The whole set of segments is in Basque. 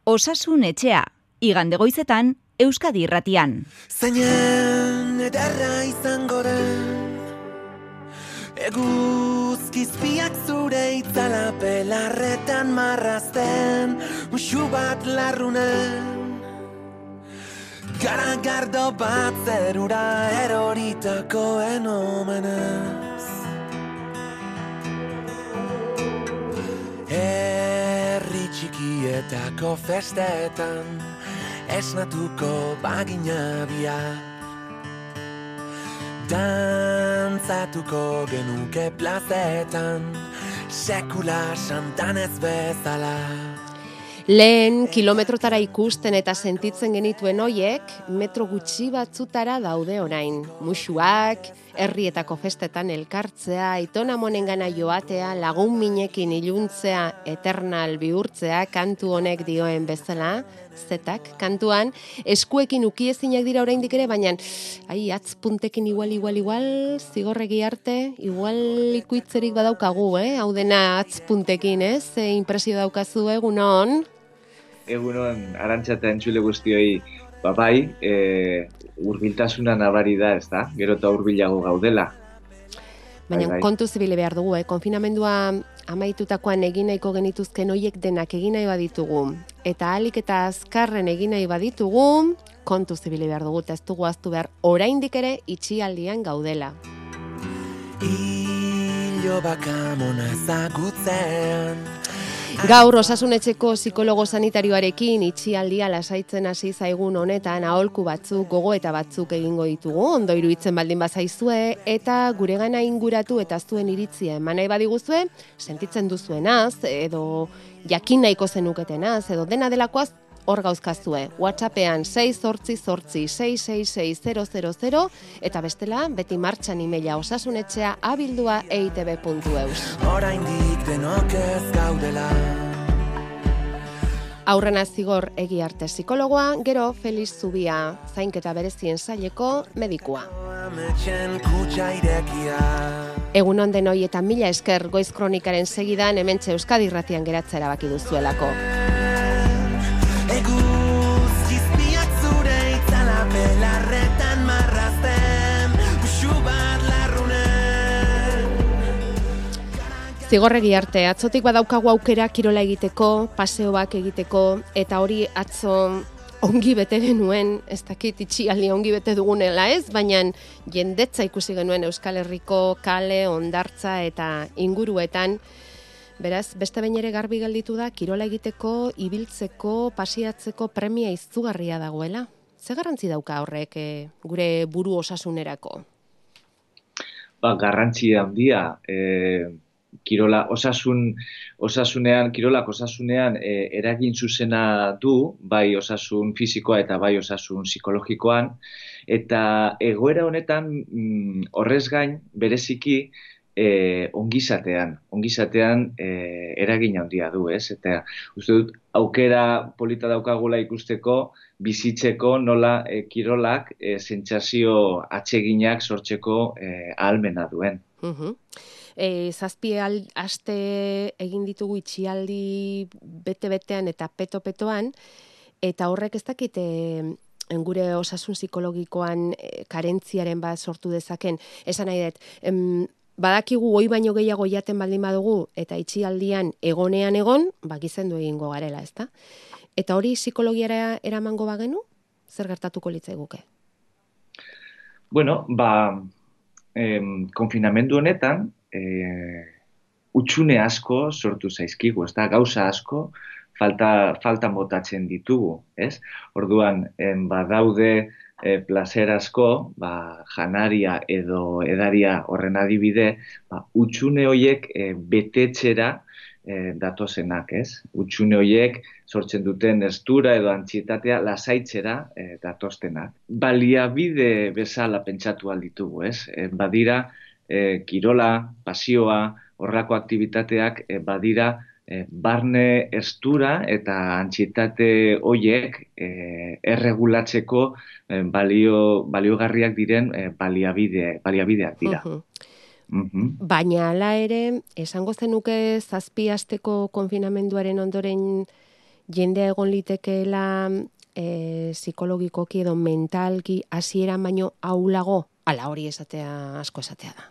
Osasun etxea, igande goizetan, Euskadi Irratian. Zainen ederra izango den, eguzkizpiak zure itzala belarretan marrazten, musu bat larrunen, garagardo bat zerura eroritakoen omenez. Herri txikietako festetan esnatuko bagina biak, dantzatuko genuke plazetan sekula santanez bezala. Lehen kilometrotara ikusten eta sentitzen genituen hoiek, metro gutxi batzutara daude orain. Musuak, herrietako festetan elkartzea, aitonamonengana joatea, lagun minekin iluntzea, eternal bihurtzea, kantu honek dioen bezala, zetak, kantuan, eskuekin ukiezinak dira oraindik ere, baina atz puntekin igual, zigorregi arte, igual ikuitzerik badaukagu, hau dena atz puntekin, ze impresio daukazu egunon? Egunon, Arantxa eta entzule guztioi, bai, hurbiltasuna nabari da, ez da? Gero eta hurbilago gaudela. Baina kontu zibile behar dugu, konfinamendua amaitutakoan egin nahiko genituzken hoiek denak egin nahi baditugu, eta ahalik eta azkarren egin nahi baditugu, kontu zibile behar dugu, eta ez dugu aztu behar oraindik ere itxialdian gaudela. Ilo bakamona ezagutzean, Gaur osasunetxeko psikologo sanitarioarekin itxialdia lasaitzen hasi zaigun honetan aholku batzuk, gogoeta batzuk egingo ditugu, ondo iruditzen baldin bazaizue, eta guregana inguratu eta zuen iritzia eman nahi badiguzue, sentitzen duzuenaz, edo jakin nahiko zenuketenaz, edo dena delakoaz, hor gauzkazue. WhatsAppean 688666000 eta bestela beti martxan emaila osasunetxea@eitb.eus. oraindik denok ez gaudela. Aurrena zigor egi arte psikologoa, gero Feliz Zubia, zainketa berezien saileko medikua. Ametxen kutxa irekia. Egunon denoi eta mila esker Goiz Kronikaren segidan hementxe Euskadi Irratian geratzea erabaki duzuelako. Eguzkizpiak zure itzala belarretan marrazten, musu bat larrunen. Zigorregi arte, atzotik badaukagu aukera kirola egiteko, paseoak egiteko, eta hori atzo ongi bete genuen, ez dakit itxialdi ongi bete dugunela ez, baina jendetza ikusi genuen Euskal Herriko kale, hondartza eta inguruetan. Beraz, beste behin ere garbi gelditu da, kirola egiteko, ibiltzeko, pasiatzeko premia izugarria dagoela. Ze garrantzi dauka horrek gure buru osasunerako? Garrantzi handia, kirolak osasunean eragin zuzena du, bai osasun fisikoa eta bai osasun psikologikoan, eta egoera honetan horrez gain bereziki ongizatean eragin handia du, ez? Eta uste dut aukera polita daukagula ikusteko, bizitzeko nola kirolak sentsazio atseginak sortzeko ahalmena duen. Zazpi aste egin ditugu itxialdi bete-betean eta peto-petoan, eta horrek ez dakit gure osasun psikologikoan karentziaren bat sortu dezaken. Esan nahi dut, badakigu hoi baino gehiago jaten baldin badugu, eta itxialdian egonean egon, gizendu egingo garela, ezta? Eta hori psikologiara eramango bagenu, zer gertatuko litzaiguke? Bueno, konfinamendu honetan, utxune asko sortu zaizkigu, ez da, gauza asko faltan botatzen ditugu, ez? Orduan, badaude plazer asko, janaria edo edaria horren adibide, utxune horiek betetxera datozenak, ez? Utxune horiek sortzen duten estura edo antxietatea lasaitzera datoztenak. Baliabide bezala pentsatu alditugu, ez? Badira, kirola, pasioa, horrako aktibitateak badira barne estura eta antsietate horiek erregulatzeko baliogarriak diren baliabideak dira. Baina hala ere, esango zenuke 7 asteko konfinamenduaren ondoren jendea egon litekeela psikologikoki edo mentalki hasieran baino ahulago, ala hori esatea asko esatea da.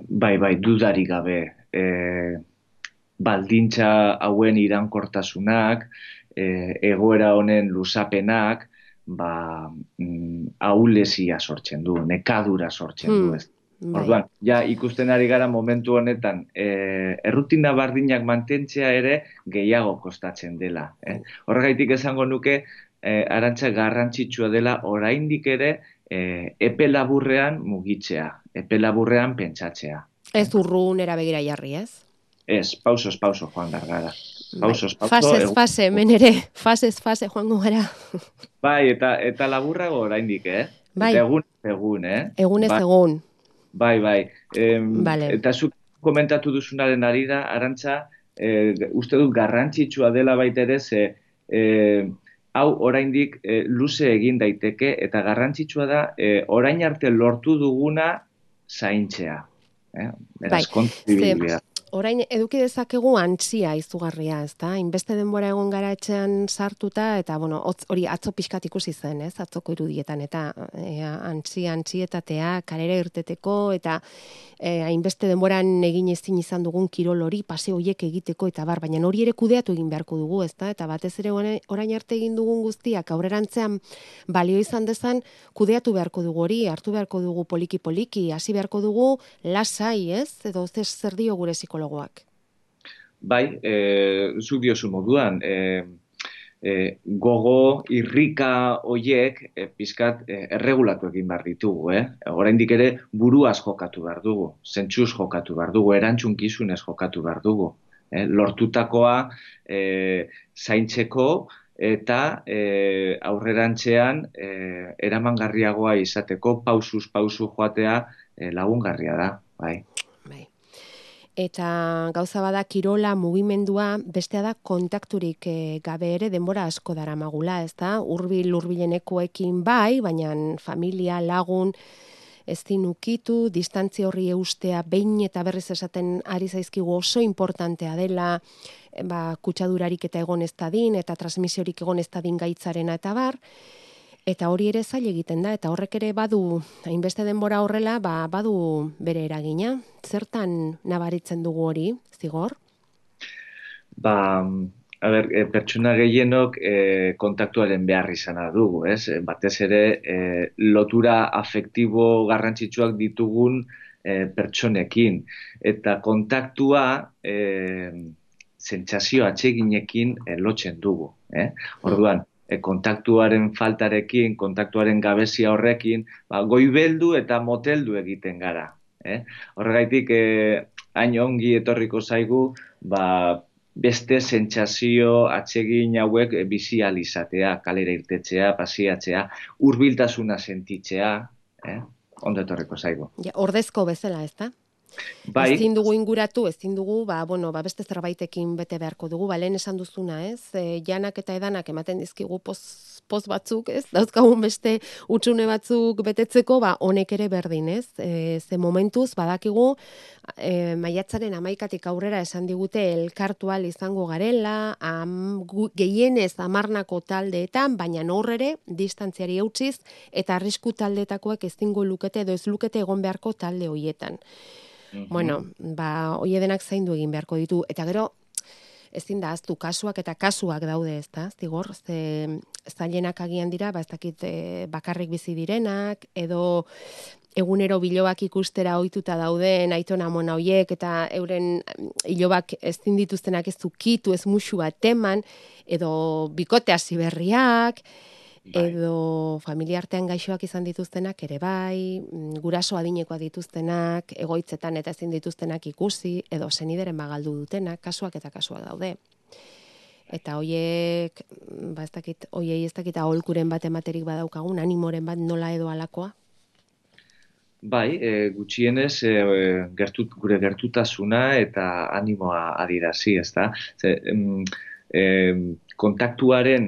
Bai, dudarik gabe. Baldintza hauen iraunkortasunak, egoera honen luzapenak, ahulesia sortzen du, nekadura sortzen du. Ez. Orduan, ja ikusten ari gara momentu honetan, errutina bardinak mantentzea ere gehiago kostatzen dela. Horregaitik esango nuke, Arantxa garrantzitsua dela oraindik ere epe laburrean mugitzea, epe laburrean pentsatzea. Ez urrunera begira jarri, ez? Ez, pausos joan behar gara. Pausos, fasez fase, hemen ere, fasez fase joango gara. Bai, eta laburrago oraindik, Bai. Eta egun, Egunez egun. Bai. Vale. Eta zuk komentatu duzunaren arira, Arantxa, uste dut garrantzitsua dela baita ere, ze hau oraindik luze egin daiteke, eta garrantzitsua da orain arte lortu duguna zaintzea. Beraz, kontu orain eduki dezakegu antzia izugarria, ezta? Hainbeste denbora egon gara etxean sartuta, eta hori atzo pixkat ikusi zen, ez? Atzoko irudietan, eta antzietatea, kalera irteteko, eta hainbeste denboran egin ezin izan dugun kirol hori, paseo horiek egiteko, eta baina hori ere kudeatu egin beharko dugu, ezta? Eta batez ere orain arte egin dugun guztiak, aurrerantzean balio izan dezan, kudeatu beharko dugu hori, hartu beharko dugu poliki-poliki, hasi beharko dugu lasai, ez? Edo zer dio gure psikologoak? Bai, zuk diozu moduan, gogo, irrika hoiek pizkat erregulatu egin behar ditugu. Oraindik ere buruaz jokatu behar dugu, zentzuz jokatu behar dugu, erantzunkizunez jokatu behar dugu. Lortutakoa zaintzeko eta aurrerantzean eramangarriagoa izateko pausuz pausu joatea lagungarria da. Bai. Eta gauza bada kirola, mugimendua, bestea da kontakturik gabe ere denbora asko daramagula, ezta? Hurbilenekoekin bai, baina familia, lagun, ezin ukitu, distantzia horri eustea behin eta berriz esaten ari zaizkigu oso importantea dela, kutsadurarik eta egon ez dadin, eta transmisiorik egon ez dadin gaitzarena eta bar, eta hori ere zail egiten da, eta horrek ere badu, hainbeste denbora horrela, badu bere eragina. Zertan nabaritzen dugu hori, Zigor? Pertsona gehienok kontaktuaren behar izana dugu, ez? Batez ere, lotura afektibo garrantzitsuak ditugun pertsonekin. Eta kontaktua sentsazio atseginekin lotzen dugu. Orduan, kontaktuaren faltarekin, kontaktuaren gabezia horrekin, goibeldu eta moteldu egiten gara. Horregaitik, hain ongi etorriko zaigu, beste sentsazio atsegin hauek bizializatea, kalera irtetzea, pasiatzea, hurbiltasuna sentitzea, ondo etorriko zaigu. Ordezko bezala, ezta? Bai. Ezin dugu inguratu, ezin dugu, beste zerbaitekin bete beharko dugu, lehen esan duzuna, ez? Janak eta edanak ematen dizkigu poz batzuk, ez? Dauzkagun beste utxune batzuk betetzeko, honek ere berdin, ez? Ze momentuz, badakigu, maiatzaren 11 aurrera esan digute elkartual izango garela, gehienez 10 taldeetan, baina horrere, distantziari eutsiz, eta arrisku taldetakoak ezingo lukete edo ez lukete egon beharko talde hoietan. Hoi denak zaindu egin beharko ditu. Eta gero, ezin da aztu kasuak eta kasuak daude, ezta? Zigor, zailenak agian dira, ez dakit bakarrik bizi direnak, edo egunero bilobak ikustera ohituta dauden aitona amona hoiek, eta euren ilobak ezin dituztenak ez ukitu, ez musu bat eman, edo bikote hasi berriak, edo familiartean gaixoak izan dituztenak ere bai, guraso adinekoa dituztenak, egoitzetan eta ezin dituztenak ikusi, edo senideren bagaldu dutenak, kasuak eta kasuak daude. Eta hoiek, hoiei ez dakit aholkuren bat ematerik badaukagun, animoren bat nola edo alakoa? Bai, gutxienez gure gertutasuna eta animoa adirazi, ezta? Kontaktuaren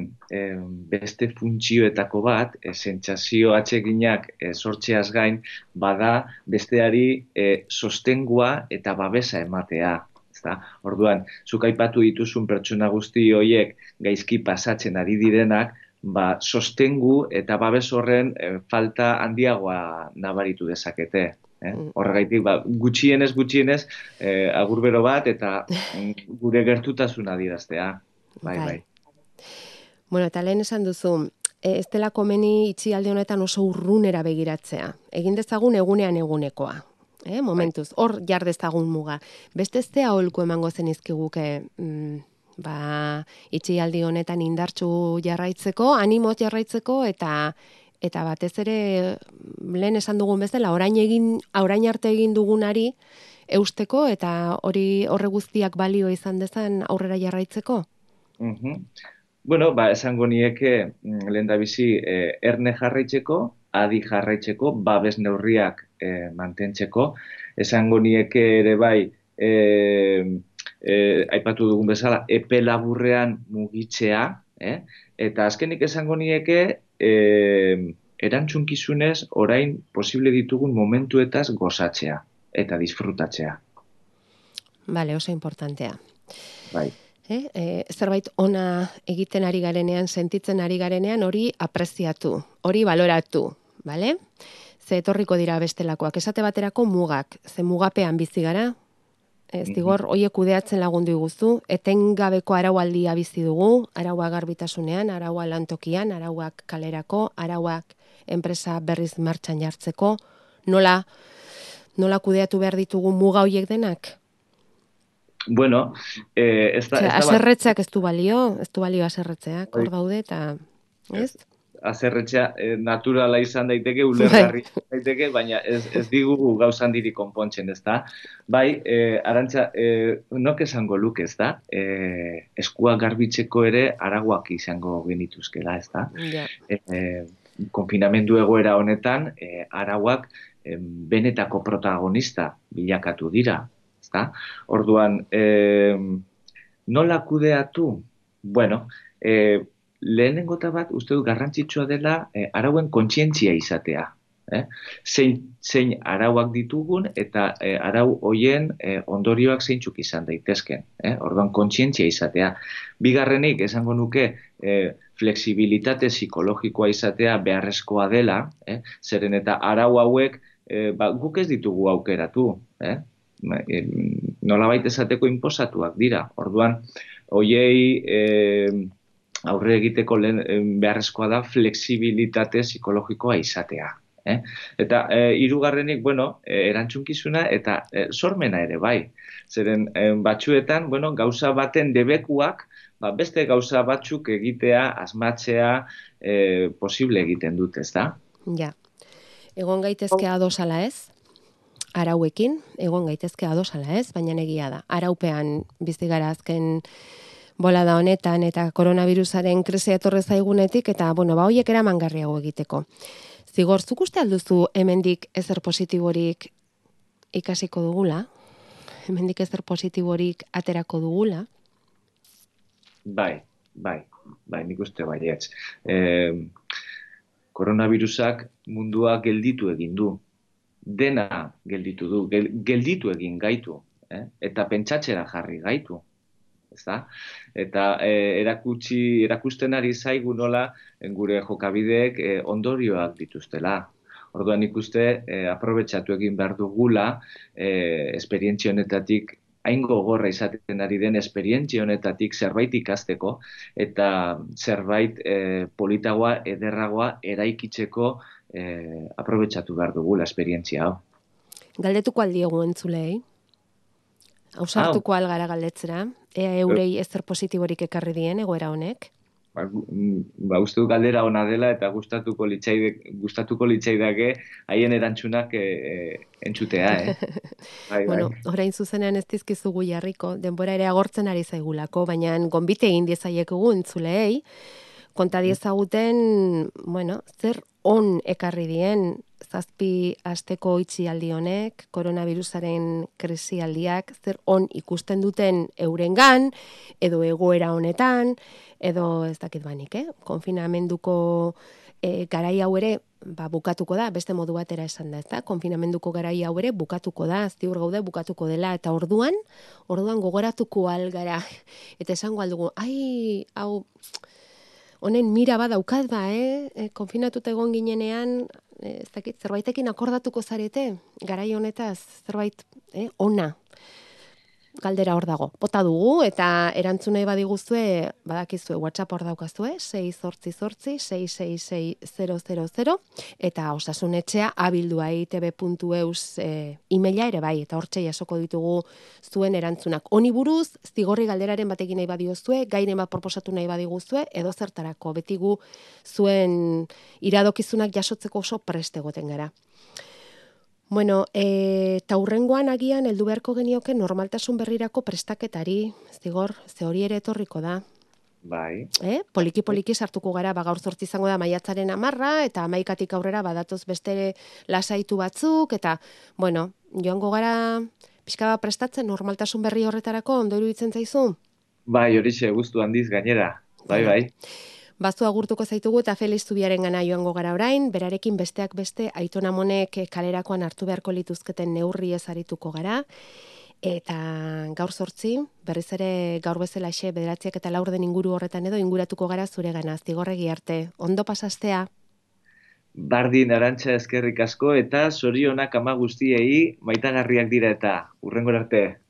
beste funtzioetako bat, sentsazio atseginak sortzeaz gain, bada besteari sostengua eta babesa ematea. ezta? Orduan, zuk aipatu dituzun pertsona guzti horiek gaizki pasatzen ari direnak, sostengu eta babes horren falta handiagoa nabaritu dezakete. Horregaitik, gutxienez, agurbero bat eta gure gertutasuna adieraztea. Bai. Bueno, eta lehen esan duzu, ez dela komeni itxialdi honetan oso urrunera begiratzea. Egin dezagun egunekoa. Momentuz, hor jar dezagun muga. Beste ez zea aholku emango zenizkiguke itxialdi honetan indartsu jarraitzeko, animoz jarraitzeko eta batez ere lehen esan dugun bezala orain arte egin dugunari eusteko eta horre guztiak balio izan dezan aurrera jarraitzeko? Bueno, esango nieke lehendabizi erne jarraitzeko, adi jarraitzeko, babes neurriak mantentzeko. Esango nieke ere bai, aipatu dugun bezala, epe laburrean mugitzea, eta azkenik esango nieke erantzunkizunez orain posible ditugun momentuetaz gozatzea eta disfrutatzea. Bale, oso importantea. Bai. Zerbait ona egiten ari garenean, sentitzen ari garenean, hori apreziatu, hori baloratu, bale? Ze etorriko dira bestelakoak, esate baterako mugak, ze mugapean bizi gara, zigor, hoiek kudeatzen lagundu iguzu, etengabeko araualdia bizi dugu, araua garbitasunean, araua lantokian, arauak kalerako, arauak enpresa berriz martxan jartzeko, nola kudeatu behar ditugu muga hoiek denak? Bueno, aserretzeak ez du balio aserretzeak, hor daude eta, ez? Aserretzea naturala izan daiteke, ulergarri daiteke, baina ez digu gauzan diri konpontzen, ez da? Bai, Arantxa, nok esango luke, ez da? Eskua garbitzeko ere araguak izango genituzkela, ez da? Konfinamendu egoera honetan, arauak benetako protagonista bilakatu dira. Orduan, nola kudeatu? Bueno, lehenengota bat uste dut garrantzitsua dela arauen kontzientzia izatea. Zein arauak ditugun eta arau hoien ondorioak zeintzuk izan daitezken. Orduan kontzientzia izatea. Bigarrenik esango nuke flexibilitate psikologikoa izatea beharrezkoa dela, zeren eta arau hauek guk ez ditugu aukeratu, nolabait esateko inposatuak dira. Orduan, hoiei aurre egiteko beharrezkoa da flexibilitate psikologikoa izatea. Eta hirugarrenik, erantzunkizuna eta sormena ere bai. Zeren batzuetan, gauza baten debekuak, beste gauza batzuk egitea, asmatzea posible egiten dut, ez da? Ja. Egon gaitezke adosala ez? Arauekin, egon gaitezke adosala ez, baina egia da. Araupean bizi gara azken bolada honetan eta koronavirusaren krisia etorri zaigunetik eta hoiek eramangarriago egiteko. Zigor, zuk uste alduzu hemendik ezer positiborik ikasiko dugula? Hemendik ezer positiborik aterako dugula? Bai, nik uste baietz. Koronavirusak mundua gelditu egin du. Dena gelditu du, gelditu egin gaitu, eta pentsatzera jarri gaitu, ezta? Eta erakusten ari zaigu nola gure jokabideek ondorioak dituztela. Orduan ikuste aprobetxatu egin behar dugula esperientzia honetatik, hain gogorra izaten ari den esperientzia honetatik zerbait ikasteko eta zerbait politagoa, ederragoa eraikitzeko aprobetxatu behar dugula esperientzia hau. Galdetuko aldiegu entzulei? Ausartuko algara galdetzera? Ea eurei ezer positiborik ekarri dien egoera honek? Uste du galdera ona dela eta gustatuko litzaidake haien erantzunak entzutea, Orain zuzenean ez dizkizugu jarriko, denbora ere agortzen ari zaigulako, baina gonbite egin diezaiekegu entzuleei, konta diezaguten, zer on ekarri dien, zazpi asteko itxialdi honek, koronavirusaren krisialdiak, zer on ikusten duten eurengan, edo egoera honetan, edo ez dakit banik, konfinamenduko garai hau ere, bukatuko da, beste modu batera esan da, ezta? Konfinamenduko garai hau ere bukatuko da, ziur gaude bukatuko dela, eta orduan gogoratuko algara, eta esango aldugu, hau, honen mira badaukat konfinatuta egon ginenean, ez dakit, zerbaitekin akordatuko zarete, garai honetaz, zerbait, ona. Galdera hor dago. Bota dugu, eta erantzunei badiguzue, badakizue, WhatsApp hor daukazue, 688-666-000, eta osasunetxea abildua itb.eus emaila ere bai, eta hortxe jasoko ditugu zuen erantzunak. Honi buruz, zigorri galderaren batekin nahi badiozue, gairen bat proposatu nahi badiguzue, edo zertarako, beti gu zuen iradokizunak jasotzeko oso prest egoten gara. Bueno, eta hurrengoan agian heldu beharko genioke normaltasun berrirako prestaketari, zigor, ze hori ere etorriko da. Bai. Poliki sartuko gara, gaur 8 izango da maiatzaren 10, eta 11tik aurrera badatoz beste lasaitu batzuk, eta, bueno, joango gara pixka bat prestatzen normaltasun berri horretarako, ondo iruditzen zaizu? Bai, horixe, guztu handiz gainera. Bai. Bazu agurtuko zaitugu eta Felix Zubiaren gana joango gara orain, berarekin besteak beste Aiton Amonek kalerakoan hartu beharko lituzketen neurriez arituko gara, eta gaur 8, berriz ere gaur bezalaxe 9:04 inguru horretan edo inguratuko gara zure gana, zigorregi arte. Ondo pasastea? Bardin, Arantxa, eskerrik asko, eta zorionak ama guztiei maitagarriak dira eta hurrengora arte.